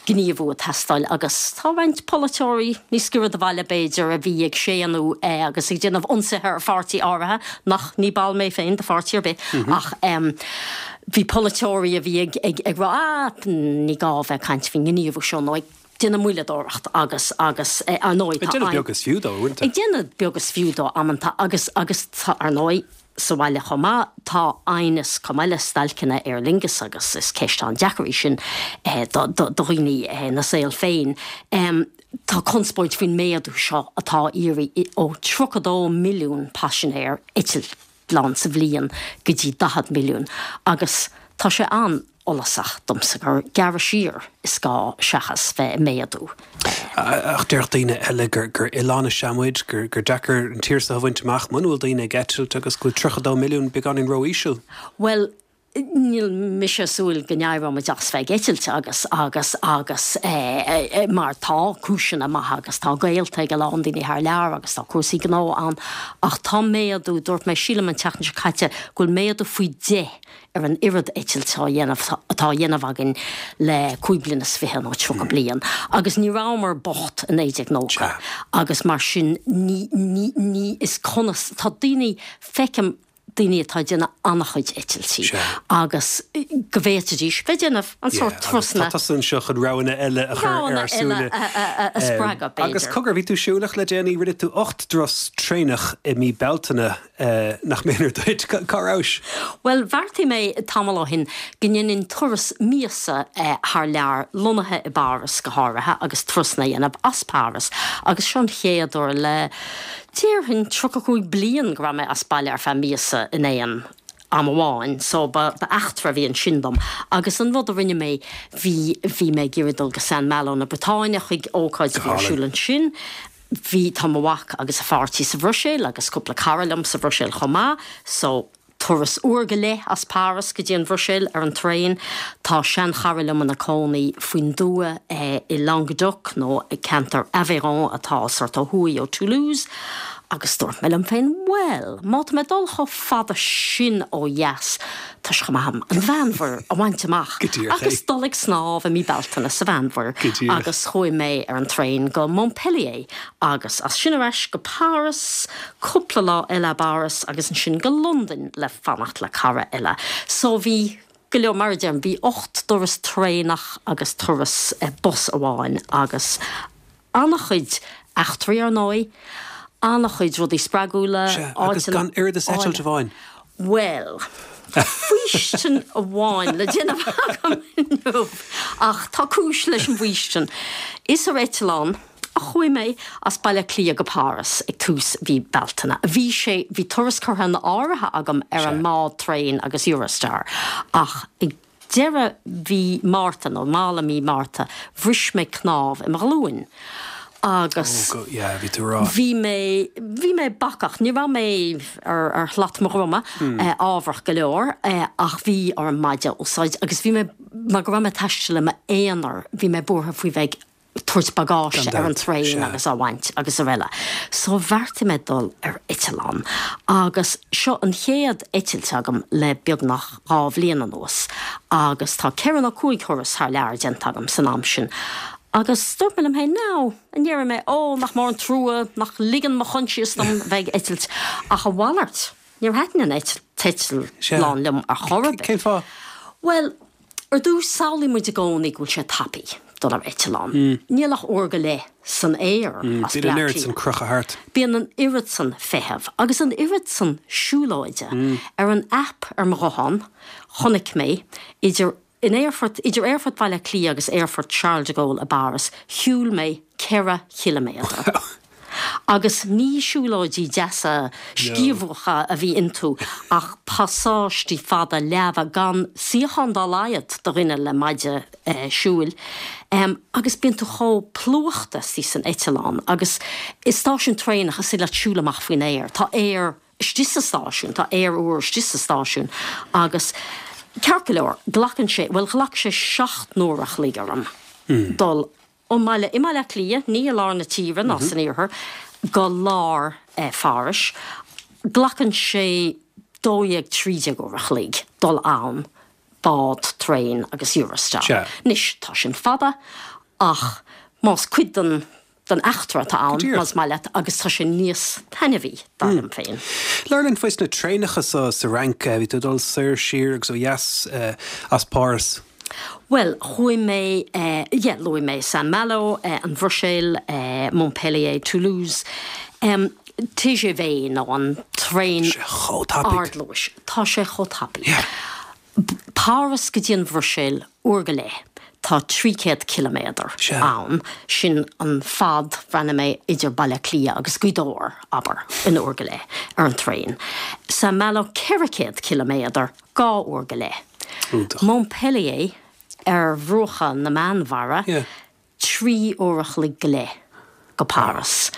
gníomhú ag teastáil agus tá roinnt polaiteoirí níos giorra do bhaile b'fhéidir a bhí ag séanadh agus ag déanamh ionsaithe ar pháirtí áirithe, nach, ní ball mé féin de pháirtí ar bith ach bhí polaiteoirí a bhí ag rá ah ní gá a bheith ag caint faoin ngníomhú seo nó ag déanamh moilleadóireacht agus, agus ar ndóigh tá. Ag déanamh beag is fiú dó uaireanta. Ag déanamh beag is fiú dó amanta agus, agus tá, ar ndóigh, sa bhaile chomh maith, tá aighneas chomh maith le stailceanna Aer Lingus agus is ceist an-deacair í sin do, do, do dhaoine ina saol féin. Tá conspóid faoin méadú seo atá á iarraidh ó 32 milliún paisinéir eitleán sa bhliain go dtí 40 milliún agus tá sé an, fhollasach domsa gur gearradh siar is gá seachas bheith ag méadú. Ach déarfadh daoine eile gur oileán is ea muid, gur deacair an tír seo a bhaint amach muna bhfuil daoine ag eitilt agus go bhfuil 32 milliún beagáinín ró-íseal. Bhuel, níl mise ag súil go n-éireoidh muid as bheith ag eitilt agus, agus, agus mar tá cúiseanna maithe agus tá gaolta ag a lán daoine thar lear agus tá cúrsaí gnó ann ach tá méadú, dúirt mé sílim an tseachtain seo caite go bhfuil méadú faoi 10 ar an oiread eitilte á dhéanamh atá á dhéanamh againn le cúig bliana is fiche nó 30 bliain agus ní rabhamar bocht i 1990 agus mar sin ní ní ní is conas tá daoine feicim daoine atá ag déanamh an-chuid eitiltí agus go bhféadfaidís bheith ag déanamh an sórt turasanna. Tá tusa anseo chun roghanna eile a chur ar ár súile. Roghanna eile a spreagadh b'fhéidir. Agus cogar, bhí tú siúlach le déanaí, rinne tú 8 dturas traenach i mí Bealtaine. Nach méanar duit? Cá rabhais? Bhuel, bheartaigh mé tamall ó shin go ndéanfainn turas míosa thar lear, lonnaithe i bPáras go háirithe, agus turasanna a dhéanamh as Páras. Agus seo an chéad uair le, déarfainn, 35 bliain go raibh mé as baile ar feadh míosa in aon am amháin, so ba eachtra a bhí ansin dom. Agus an rud a rinne mé, bhí, bhí mé ag iarraidh dul go Saint Malo na Briotáine chuig ócáid a bhí ar siúl ansin, Bhí, tá mo mhac agus a pháirtí sa Bhruiséil agus cúpla cara liom sa Bhruiséil chomh maith, so turas uair go leith as Páras go dtí an Bhruiséil ar an traein. Tá seanchara liom ina cónaí faoin dtuath i Languedoc nó i ceantar Aveyron atá sort ó thuaidh ó Toulouse agus dúirt mé liom féin, bhuel, má tá mé ag dul chomh fada sin ó dheas, Tá sé chomh maith agam an Mheánmhuir a bhaint amach agus dul ag snámh i mí Bealtaine sa Mheánmhuir agus chuaigh mé ar an traein go Montpellier agus as sin ar ais go Páras, cúpla lá eile i bPáras agus ansin go Londain le fanacht le cara eile. So bhí go leor, mar a deirim, bhí 8 dturas traenach agus turas bus amháin agus An-chuid eachtraí ar ndóigh, an-chuid rudaí spreagúla, Sea, agus áiteanna gan oiread is eitilt amháin. Bhuel, faoistin amháin le déanamh agam inniu, ach tá cúis leis an bhfaoistin. Is ar eitleán a chuaigh mé as Baile Átha Cliath go Páras ag tús mhí Bealtaine. Bhí sé, bhí turas curtha in áirithe agam ar an mbád, traein agus Eurostar, ach ag. Deireadh mhí Márta, nó mall i mí Márta, bhris mé cnámh i mo ghlúin agus bhí mé, bhí mé bacach, ní raibh mé ar, ar shlat mo dhroma, ábharach go leor, ach bhí orm maide a úsáid agus bhí mé, mar go raibh mé ag taisteal i m'aonar, bhí mé buartha faoi bheith ag tabhairt bagáiste ar an traein agus á bhaint agus araile. So bheartaigh mé dul ar eitleán agus seo an chéad eitilt agam le beagnach 2 bhliain anuas agus tá 4 nó 5 thuras thar lear déanta agam san am sin agus dúirt mé liom féin now an ndéarfaidh mé oh nach mór an trua nach ligeann mo choinsias dom bheith ag eitilt ach a mhalairt níor thaitin an t-eitleán liom ar chor ar bith. Cén fáth? Bhuel Ar dtús, samhlaíonn muid i gcónaí go bhfuil sé tapaidh dul ar eitleán. Níl ach uair go leith san aer as Bíonn an Bleá oiread san Cliath. crochadh thart. Bíonn an oiread san feithimh agus an oiread san siúlóide. Ar an aip ar mo ghuthán, chonaic mé idir in aerfort idir Aerfort Bhaile Átha Cliath agus Aerfort Charles de Gaulle i bPáras, shiúil mé 4 chiliméadar. Agus ní siúlóidí deasa sciamhacha a bhí iontu ach pasáistí fada leamha gan suíochán dá laghad do dhuine le maide siúil. Agus bíonn tú chomh plúchta istigh san eitleán agus i stáisiún traenach is féidir leat siúl amach faoin aer. Tá aer istigh sa stáisiún, tá aer úr istigh sa stáisiún agus ceart go leor, glacann sé, bhuel ghlac sé 7 n-uair a chloig orm dul ón mbaile, i mBaile Átha Cliath, ní i lár na tíre ná san iarthar, go lár Phárais. Glacann sé 12, 13 uair a chloig dul ann, bád, traein agus Eurostar. Anois, tá sin fada ach más cuid den den eachtra atá ann, más maith leat, agus tá sé níos taitneamhaí, dar liom féin. Labhair linn faoi na traenacha so sa Fhrainc. Bhí tú ag dul soir, siar agus ó dheas as Páras. Bhuel, chuaigh mé, yeah, luaigh mé Saint-Malo, an Bhruiséil, Montpellier, Toulouse, TGV nó an traein ardluais. Tá sé chomh tapaidh. Páras go dtí an Bhruiséil, uair go leith, tá 300 ciliméadar ann, sin an fad, bhreathnaigh mé, idir Baile Átha Cliath agus Gaoth Dobhair, abair, in uair go leith, ar an traein. Saint-Malo 400 ciliméadar, 2 uair go leith. Montpellier ar bhruacha na Meánmhara, 3 uair a chloig go leith go Páras.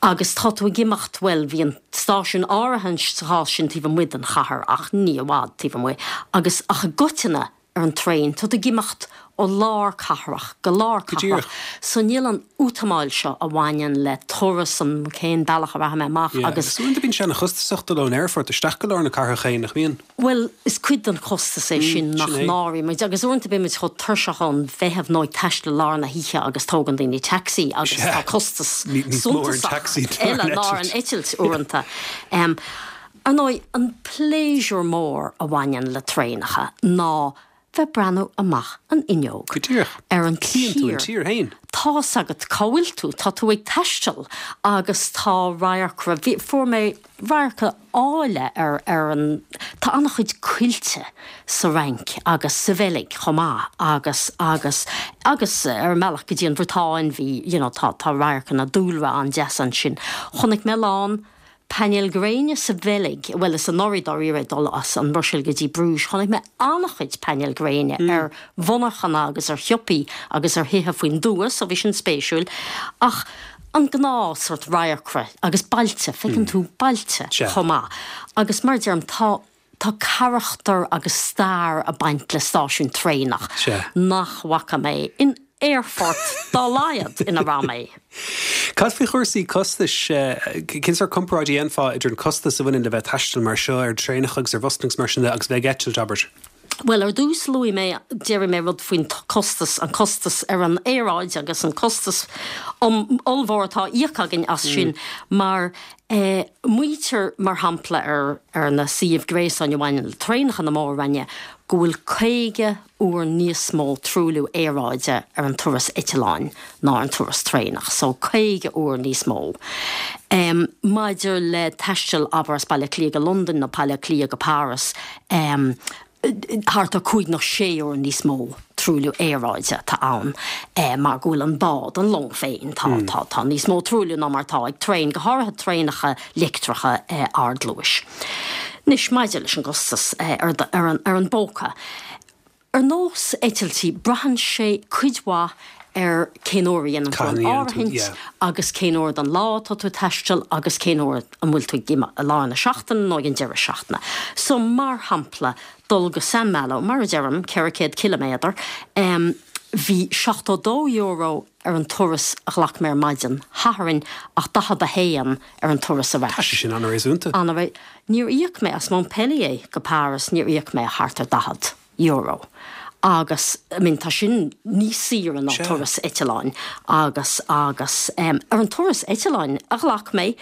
Agus tá tú ag imeacht, bhuel, bhí an stáisiún áirithe sa chás sin taobh amuigh den chathair ach ní i bhfad taobh amuigh, agus ach i gcoitinne ar an traein, tá tú ag imeacht ó lár cathrach go lár cathrach so níl an útamáil seo a bhaineann le turas an cén bealach a rachaidh mé amach agus. Agus uaireanta bíonn sé ana-chostasach dul ón aerfort isteach go lár na cathrach féin, nach mbíonn? Bhuel, is cuid den chostas é sin nach n-áiríonn muid agus uaireanta bíonn muid chomh tuirseach ón bhfeitheamh nó ag taisteal i lár na hoíche agus tógann daoine taxi agus tá costas suntasach eile ná ar an eitilt uaireanta. Ar ndóigh, an pléisiúr mór a bhaineann le traenacha ná bheith breathnú amach an fhuinneog Go díreach. ar an Chíonn tú an tír. tír féin. Tá's agat cá bhfuil tú, tá tú ag taisteal agus tá radharcra, bhí, fuair mé radharca áille ar, ar an, tá an-chuid coillte sa Fhrainc agus sa Bheilg chomh maith agus, agus, agus ar an mbealach go dtí an Bhriotáin bhí, you know, tá, tá radharcanna dúlra an-deas ansin. Chonaic mé a lán Painéil gréine sa Bheilg, bhuel is anuraidh dáiríre ag dul as an mBruiséil go dtí Bruges, chonaic mé an-chuid painéil gréine ar mhonarchana agus ar shiopaí agus ar thithe faoin dtuath, so bhí sin spéisiúil. Ach an gnáth sort radharcra agus bailte, feiceann tú bailte chomh maith. Agus mar a deirim, tá. Tá carachtar agus stair ag baint le stáisiún traenach nach bhfaca mé in aerfort dá laghad ina raibh mé. Cad faoi chúrsaí costais? Cén sórt comparáid a dhéanfá idir an costas a bhaineann le bheith ag taisteal mar seo ar traenacha agus ar bhusanna agus mar sin de agus bheith ag eitilt, abair? Bhuel, ar dtús luaigh mé, déarfaidh mé rud faoin costas, an costas ar an aeráid agus an costas ollmhór atá á íoc againn as sin mar Maítear, mar shampla, ar na suímh gréasáin a bhaineann le traenacha na Mór-Roinne go bhfuil 50 uair níos mó truailliú aeráide ar an turas eitleáin ná ar an turas traenach, so 50 uair níos mó. Maidir le taisteal, abair, as Baile Átha Cliath go Londain nó Baile Átha Cliath go Páras, thart ar 5 nó 6 uair níos mó truailliú aeráide atá ann mar go bhfuil an bád, an long féin, tá, tá, tá níos mó truailliú ná mar atá ag traein, go háirithe traenacha leictreacha ardluais. Anois, maidir leis an gcostas ar, ar an, ar an bpóca. Ar nós eitiltí, braitheann sé cuid mhaith ar cén uair a dhéanann tú an áirithint agus cén uair den lá atá tú ag taisteal agus cén uair an bhfuil tú ag imeacht i lár na seachtaine nó ag an deireadh seachtaine. So, mar shampla, dul go Saint-Malo, mar a deirim, 400 ciliméadar, bhí €72 ar an turas a ghlac mé ar maidin Shathairn ach 41 ar an turas ar ais. Tá sé sin an-réasúnta. Níor íoc mé as Montpellier go Páras, níor íoc mé ach thart ar €40 agus I mean tá sin níos saoire ná turas eitleáin agus agus ar an turas eitleáin a ghlac mé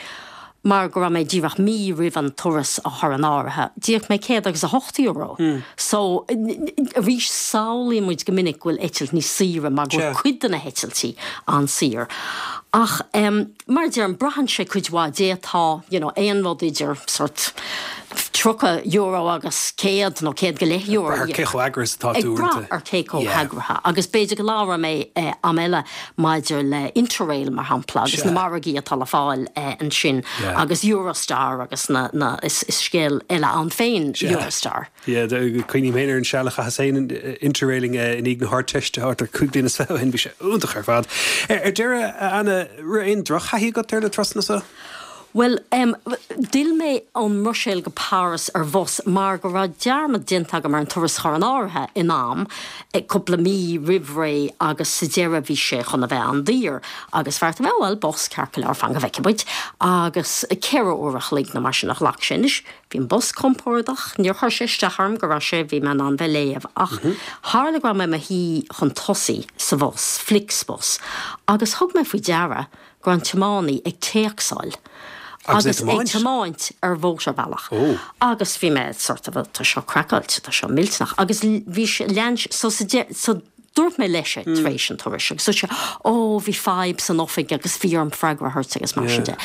mar go raibh mé díreach mí roimh an turas a chur in áirithe, d'íoc mé €108. So arís samhlaíonn muid go minic go bhfuil eitilt níos saoire mar go bhfuil cuid de na heitiltí an-saor. Ach mar a deirim, braitheann sé cuid mhaith, d'fhéadfá you know aon rud idir sort €30 agus 100 nó 100 go leith euro. Ag brath ar cé chomh heagraithe is atá tú uaireanta. Ag brath ar cé chomh heagraithe agus b'fhéidir go labhróidh mé am eile maidir le Interrail mar shampla agus na margaí atá le fáil ansin agus Eurostar agus na, na, is scéal eile ann féin Eurostar. Yeah, cuimhním féin ar an seal a chaitheas féin interrailing i ndiaidh na hArdteiste thart ar 25 bliana ó shin, bhí sé iontach ar fad. Ar deireadh, a Anna, raibh aon drochthaithí agat ar na turasanna seo? Bhuel, em, d'fhill mé ón mBruiséil go Páras ar bhus mar go raibh dearmad déanta agam ar an turas a chur in áirithe in am, cúpla mí roimh ré agus sa deireadh bhí sé chun a bheith an-daor agus bheartaigh mé, oh well, bus, ceart go leor, fan go bhfeicfidh muid. Agus ceithre uair a chloig nó mar sin a ghlac sé. Anois, bhí an bus compordach, níor chuir sé isteach orm go raibh sé, bhí mé in ann bheith ag léamh ach tharla go raibh mé i mo shuí chun tosaigh sa bhus, Flixbus, agus thug mé faoi deara go raibh an tiománaí ag téacsáil agus ag tiomáint ar mhótarbhealach agus bhí mé sort of tá seo craiceáilte, tá seo millteanach agus bhí sé, lean sé, so sa deireadh, so dúirt mé leis é tar éis an turais agus dúirt sé ó bhí fadhb san oifig agus bhí orm freagra a thabhairt agus mar sin de.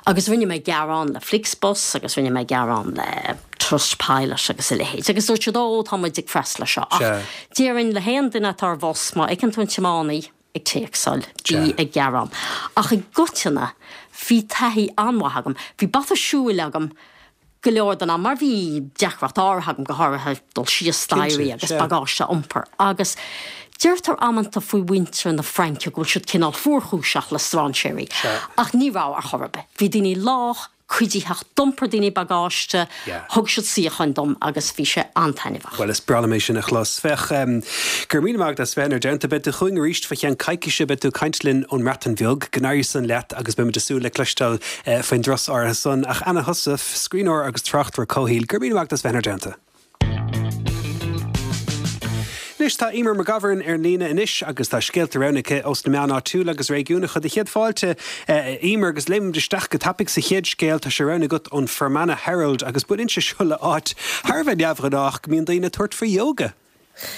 Agus rinne mé gearán le Flixbus agus rinne mé gearán le Trustpilot agus a leithéid agus dúirt siad ó tá muid ag freastal air seo ach déarfainn le haon duine atá ar bhus má fheiceann tú an tiománaí ag téacsáil, bí ag gearán. Ach i gcoitinne, bhí taithí an-mhaith agam. Bhí bata siúil agam go leor den am mar bhí deacracht áirithe agam, go háirithe dul síos staighrí agus bagáiste a iompar. Agus deirtear amanta faoi mhuintir na Fraince go bhfuil siad cineál fuarchúiseach le strainséirí. Ach ní raibh ar chor ar bith. Bhí daoine lách, cuiditheach, d'iompair daoine bagáiste, thug siad suíocháin dom agus bhí sé an-taitneamhach. Bhuel, is breá liom é sin a chlos. Féach, go raibh míle maith agat as bheith inár dteannta. Beidh tú chugainn arís fá cheann coicíse, beidh tú ag caint linn ón mBreatain Bheag. Go n-éirí san leat agus beimid ag súil le cloisteáil faoin dturas áirithe san. Ach Anna Heussaff, scríbhneoir agus tráchtaire comhshaoil, go raibh míle maith agat as bheith inár dteannta. Anois tá Eimear McGovern ar an líne anois agus tá scéalta roghnaithe aici ós na meáin áitiúla agus réigiúnacha do chéad fáilte a Eimear agus léimfimid isteach go tapaidh sa chéad scéal tá sé roghnaithe agat ón Fermanagh Herald agus baineann sé seo le áit thar a bheith neamhghnách go mbíonn daoine ag tabhairt faoi yoga.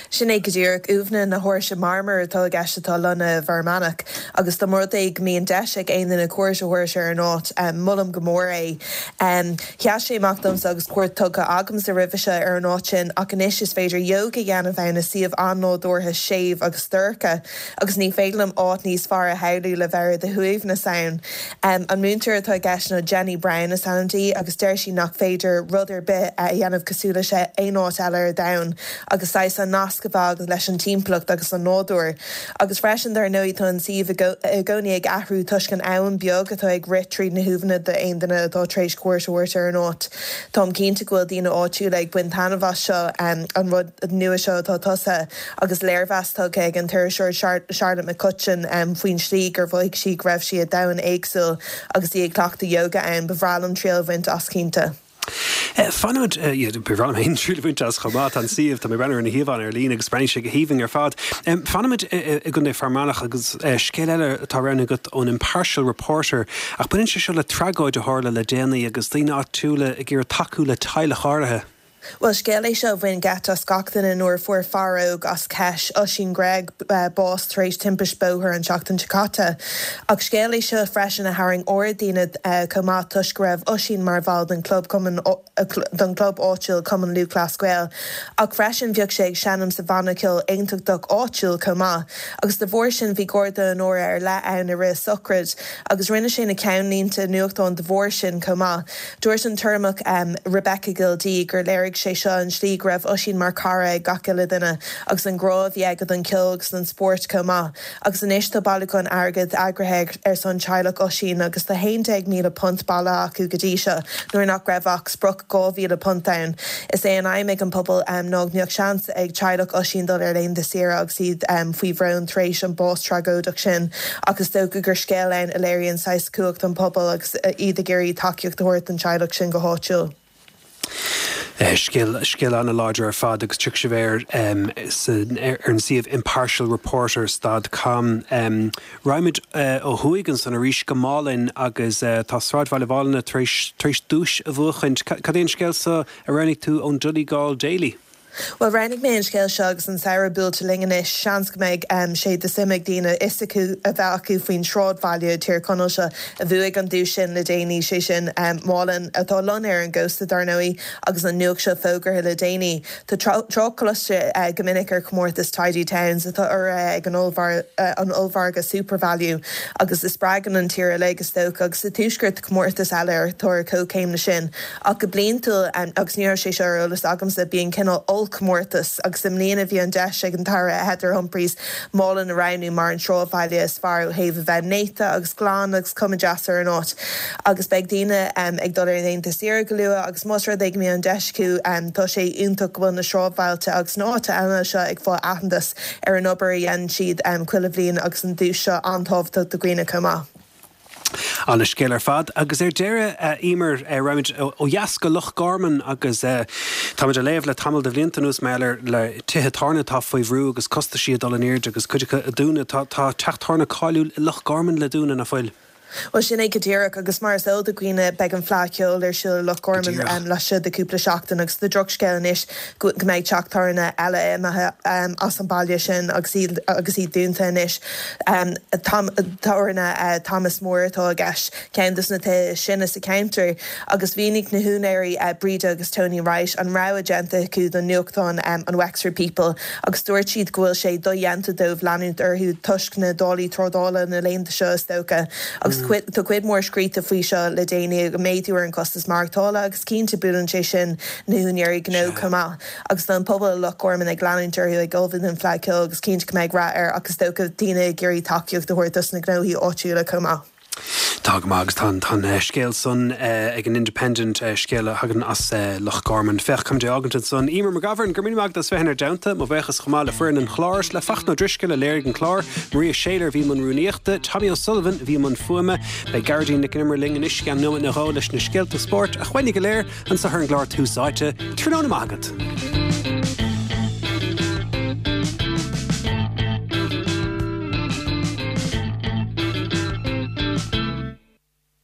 Sin é go díreach. Uaimheanna na hÁirse Marmair atá i gceist atá lonnaithe i bhFear Manach agus dá mba rud é go mbíonn deis ag aon duine cuairt a thabhairt ar an áit, molaim go mór é. Sheas sé amach domsa agus cuairt tugtha agamsa roimhe seo ar an áit sin ach anois is féidir ióga a dhéanamh ann i suíomh an-nádúrtha, séimh agus dorcha agus ní féidir liom áit níos fearr a shamhlú le bheith ar do shuaimhneas ann. An múinteoir atá i gceist ná Jenny Brown is ainm di agus deir sí nach féidir rud ar bith a dhéanamh cosúil leis aon áit eile ar domhan agus saghas an nasc a bheith agat leis an timpeallacht agus an nádúr. Agus freisin, dar ndóigh, tá an suíomh i gcónaí ag athrú toisc an abhainn beag atá ag rith tríd na huaimheanna d'aon duine atá tar éis cuairt a thabhairt ar an áit. Táim cinnte go bhfuil daoine áitiúla ag baint taitneamh as seo, an rud nua seo atá tosaithe, agus léirmheas tugtha ag an t-iriseoir Charlotte McCutcheon faoin slí gur mhothaigh sí go raibh sí i domhan éagsúil agus í ag cleachtadh yoga ann. Ba bhreá liom triail a bhaint as cinnte. Fanfaimid, ba bhreá liom féin triail a bhaint as chomh maith, tá an suíomh, tá mé ag breathnú ar na híomhánna ar líne agus breathnaíonn sé go haoibhinn ar fad. Fanfaimid i gContae Fear Manach agus scéal eile atá roghnaithe agat ón Impartial Reporter ach baineann sé seo le tragóid a tharla le déanaí agus daoine áitiúla ag iarraidh tacú le teaghlach áirithe. Bhuel, scéal é seo a bhain geit as gach duine nuair a fuair fear óg as Kesh, Oisín Gregg, bás tar éis timpist bóthair an tseachtain seo caite. Ach scéal é seo freisin a tharraing aird daoine chomh maith toisc go raibh Oisín mar bhall den chlub cumann den chlub áitiúil Cumann Lúthchleas Gael ach freisin bhíodh sé ag seinm sa bhanna ceoil aontachtach áitiúil chomh maith agus de bharr sin bhí garda onóra ar leith ann i rith a sochraid agus rinne sé na ceannlínte nuachtáin de bharr sin chomh maith. Dúirt an tUrramach Rebecca Gildea gur léirigh. Léirigh sé seo an slí go raibh Oisín mar cara ag gach uile duine agus an grá a bhí aige don ceol agus don spórt chomh maith. Agus anois tá bailiúchán airgid eagraithe ar son teaghlach Oisín agus tá £11,000 bailithe acu go dtí seo nuair nach raibh ach sprioc £2,000 ann. Is é an aidhm ag an pobal ná go mbeadh seans ag teaghlach Oisín dul ar laethanta saoire agus iad faoi bhrón tar éis an bás tragóideach sin ach is dócha gur scéal ann a léiríonn saghas cumhacht an pobail agus iad ag iarraidh tacaíocht a thabhairt don teaghlach sin go háitiúil. Scéal, scéal an-láidir ar fad agus tiocfaidh sibh air ar an suíomh impartialreporter stad com. Raghaimid ó thuaidh ansan arís go Málainn agus tá sráidbhaile Mhálanna tar éis, tar éis duais a bhuachaint. Cad é an scéal so a roghnaigh tú ón Donegal Daily? Bhuel, roghnaigh mé an scéal seo agus an samhradh buailte linn anois, seans go mbeidh sé de suim ag daoine fhios acu a bheith acu faoin sráidbhaile i dTír Chonaill seo a bhuaigh an duais sin le déanaí, sé sin Málainn, atá lonnaithe ar an gcósta dar ndóigh, agus an nuacht seo fógartha le déanaí. Tá trácht cloiste go minic ar chomórtas Tidy Towns atá urraithe ag an ollmhargadh SuperValu agus a spreagann an tír uilig, is dócha, agus sa Tuaisceart tá comórtas eile atá ar comhchéim leis sin. Ach go bliantúil, agus ní raibh sé seo ar eolas agamsa, bíonn cineál ollchomórtas agus i mbliana bhí an deis ag an tAire Heather Humphreys Málainn a roghnú mar an sráidbhaile is fearr ó thaobh a bheith néata agus glan agus cuma deas ar an áit. Agus beidh daoine ag dul ar laethanta saoire go luath agus más rud é go mbíonn an deis acu tá sé iontach go bhfuil na sráidbhailte agus na háiteanna eile seo ag fáil aitheantas ar an obair a dhéanann siad chuile bhliain agus an duais seo an-tábhachtach do dhaoine chomh maith. Ana-scéal ar fad. Agus ar deireadh, a Emer, raghaimid ó dheas go Loch Garman agus táimid ag léamh le tamall de bhlianta anuas mar gheall ar le tithe tábhairne atá faoi bhrú agus costaisí ag dul in airde agus cuid acu ag dúnadh. Tá teach tábhairne cáiliúil i Loch Garman le dúnadh, nach bhfuil? Bhuel, sin é go díreach, agus mar is eol do dhaoine, beidh an Fleadh Cheoil ar siúl i Loch Garman laistigh de chúpla seachtain agus tá drochscéal anois go mbeidh teach tábhairne eile imithe as an baile sin agus iad agus iad dúnta anois. Tábhairne Thomas Moore atá i gceist, ceann de na tithe is sine sa cheantar, agus mhínigh na húinéirí, Breda agus Tony Wright, an rogha déanta acu don nuachtán an Wexford People agus dúirt siad go bhfuil sé dodhéanta dóibh leanúint orthu toisc na dálaí trádála na laethanta seo is dócha. Agus tá cuid mhór scríte faoi seo le déanaí, an méadú ar an gcostas maireachtála agus cinnte buaileann sé sin na húinéirí gnó chomh maith. Agus tá an pobal i Loch Garman ag leanúint orthu ag ullmhú don Fleadh Ceoil agus cinnte go mbeidh rath air ach is dócha daoine ag iarraidh tacaíocht a thabhairt dos na gnóthaí áitiúla chomh maith. Tá go maith agus tá an tá an scéal san ag an Independent, scéal a thagann as Loch Garman. Féach, táimid á fhágaint ansan. Emer McGovern, go raibh míle maith agat as bheith inár dteannta. Mo bhuíochas chomh maith le foireann an chláir, le Fachtna Ó Drisceoil a léirigh an clár, Maria Shayler a bhí i mbun rúnaíochta, Tommy O'Sullivan a bhí i mbun fuaime. Beidh Gearóidín Nic an Iomaire linn anois i gceann nóiméad nó dhó leis na scéalta spóirt a choinnigh go léir. Anseo ar an gclár Tús Áite. Tráthnóna maith agat.